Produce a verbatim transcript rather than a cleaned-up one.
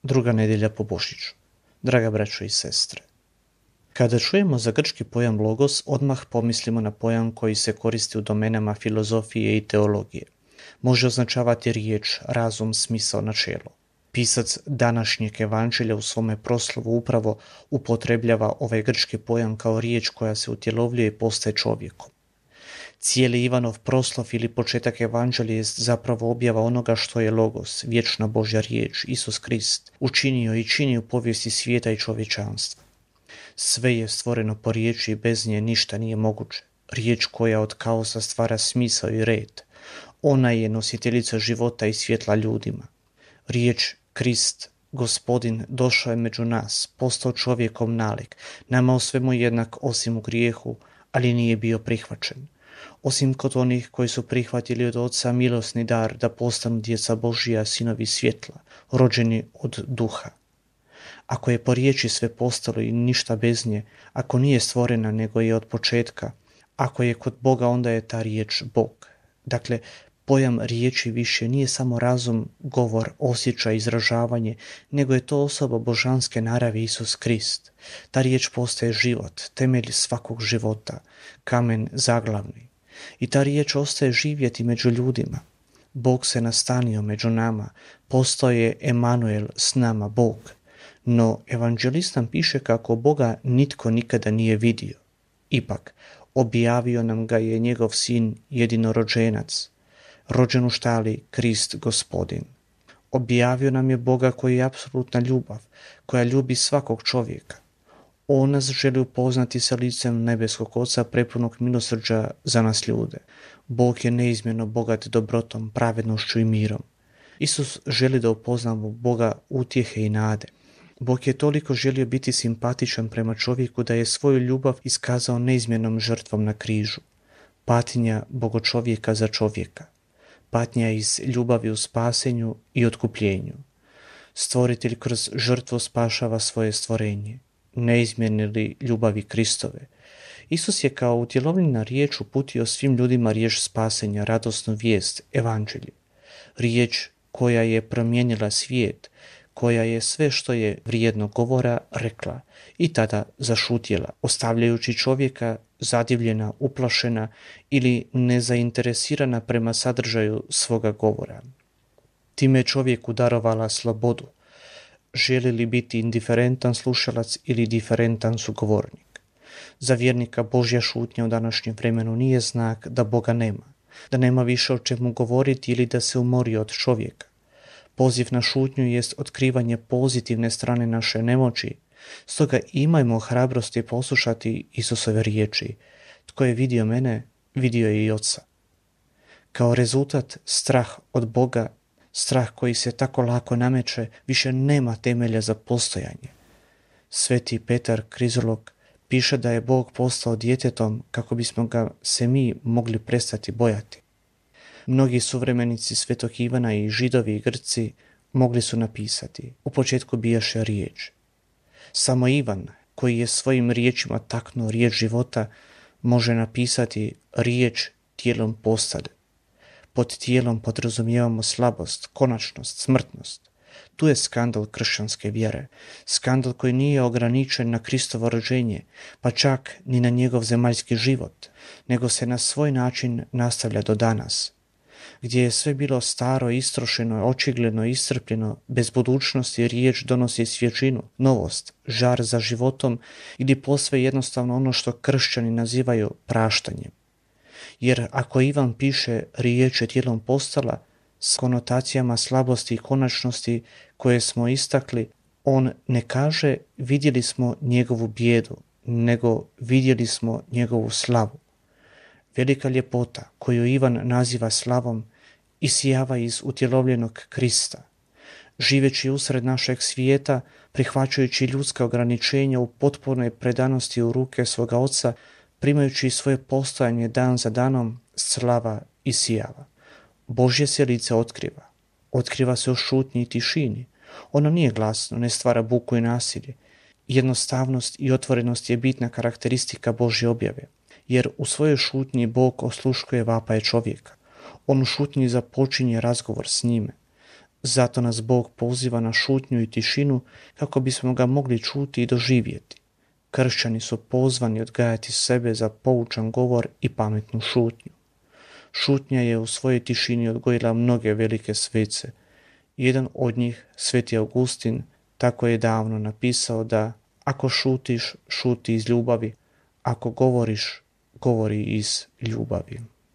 druga nedjelja po Božiću. Draga braćo i sestre, kada čujemo za grčki pojam logos, odmah pomislimo na pojam koji se koristi u domenama filozofije i teologije. Može označavati riječ, razum, smisao, načelo. Pisac današnjeg evanđelja u svome proslovu upravo upotrebljava ovaj grčki pojam kao riječ koja se utjelovljuje i postaje čovjekom. Cijeli Ivanov proslov ili početak evanđelja je zapravo objava onoga što je logos, vječna Božja riječ, Isus Krist, učinio i čini u povijesti svijeta i čovječanstva. Sve je stvoreno po riječi i bez nje ništa nije moguće. Riječ koja od kaosa stvara smisao i red. Ona je nositeljica života i svjetla ljudima. Riječ Krist, Gospodin, došao je među nas, postao čovjekom nalik, nama o svemu jednak osim u grijehu, ali nije bio prihvaćen. Osim kod onih koji su prihvatili od Oca milosni dar da postanu djeca Božija, sinovi svjetla, rođeni od duha. Ako je po riječi sve postalo i ništa bez nje, ako nije stvorena nego je od početka, ako je kod Boga, onda je ta riječ Bog. Dakle, pojam riječi više nije samo razum, govor, osjećaj, izražavanje, nego je to osoba božanske naravi Isus Krist. Ta riječ postaje život, temelj svakog života, kamen zaglavni. I ta riječ ostaje živjeti među ljudima. Bog se nastanio među nama, postao je Emanuel, s nama Bog. No evanđelist nam piše kako Boga nitko nikada nije vidio. Ipak, objavio nam ga je njegov sin jedinorođenac, rođen u štali, Krist Gospodin. Objavio nam je Boga koji je apsolutna ljubav, koja ljubi svakog čovjeka. On nas želi upoznati sa licem nebeskog Oca prepunog milosrđa za nas ljude. Bog je neizmjerno bogat dobrotom, pravednošću i mirom. Isus želi da upoznamo Boga utjehe i nade. Bog je toliko želio biti simpatičan prema čovjeku da je svoju ljubav iskazao neizmjernom žrtvom na križu. Patnja bogočovjeka za čovjeka. Patnja iz ljubavi u spasenju i otkupljenju. Stvoritelj kroz žrtvu spašava svoje stvorenje. Neizmjerne li ljubavi Kristove. Isus je kao utjelovljena riječ uputio svim ljudima riječ spasenja, radosnu vijest, evanđelje. Riječ koja je promijenila svijet, koja je sve što je vrijedno govora rekla i tada zašutjela, ostavljajući čovjeka zadivljena, uplašena ili nezainteresirana prema sadržaju svoga govora. Time je čovjeku darovala slobodu. Želi li biti indiferentan slušalac ili diferentan sugovornik? Za vjernika Božja šutnja u današnjem vremenu nije znak da Boga nema, da nema više o čemu govoriti ili da se umori od čovjeka. Poziv na šutnju jest otkrivanje pozitivne strane naše nemoći, stoga imajmo hrabrosti poslušati Isusove riječi. Tko je vidio mene, vidio je i Oca. Kao rezultat, strah od Boga, strah koji se tako lako nameće, više nema temelja za postojanje. Sveti Petar Krizolog piše da je Bog postao djetetom kako bismo ga se mi mogli prestati bojati. Mnogi suvremenici Svetog Ivana i Židovi i Grci mogli su napisati: u početku bijaše riječ. Samo Ivan, koji je svojim riječima taknuo riječ života, može napisati riječ tijelom postade. Pod tijelom podrazumijevamo slabost, konačnost, smrtnost. Tu je skandal kršćanske vjere, skandal koji nije ograničen na Kristovo rođenje, pa čak ni na njegov zemaljski život, nego se na svoj način nastavlja do danas, gdje je sve bilo staro, istrošeno, očigledno, iscrpljeno, bez budućnosti, riječ donosi svježinu, novost, žar za životom ili posve jednostavno ono što kršćani nazivaju praštanjem. Jer ako Ivan piše riječ je tijelom postala, s konotacijama slabosti i konačnosti koje smo istakli, on ne kaže vidjeli smo njegovu bijedu, nego vidjeli smo njegovu slavu. Velika ljepota koju Ivan naziva slavom isijava iz utjelovljenog Krista. Živeći usred našeg svijeta, prihvaćajući ljudska ograničenja u potpunoj predanosti u ruke svoga Oca, primajući svoje postojanje dan za danom, slava isijava. Božje se lice otkriva. Otkriva se u šutnji i tišini. Ono nije glasno, ne stvara buku i nasilje. Jednostavnost i otvorenost je bitna karakteristika Božje objave, jer u svojoj šutnji Bog osluškuje vapaje čovjeka. On u šutnji započinje razgovor s njime. Zato nas Bog poziva na šutnju i tišinu kako bismo ga mogli čuti i doživjeti. Kršćani su pozvani odgajati sebe za poučan govor i pametnu šutnju. Šutnja je u svojoj tišini odgojila mnoge velike svece. Jedan od njih, Sveti Augustin, tako je davno napisao da ako šutiš, šuti iz ljubavi, ako govoriš, govori iz ljubavi.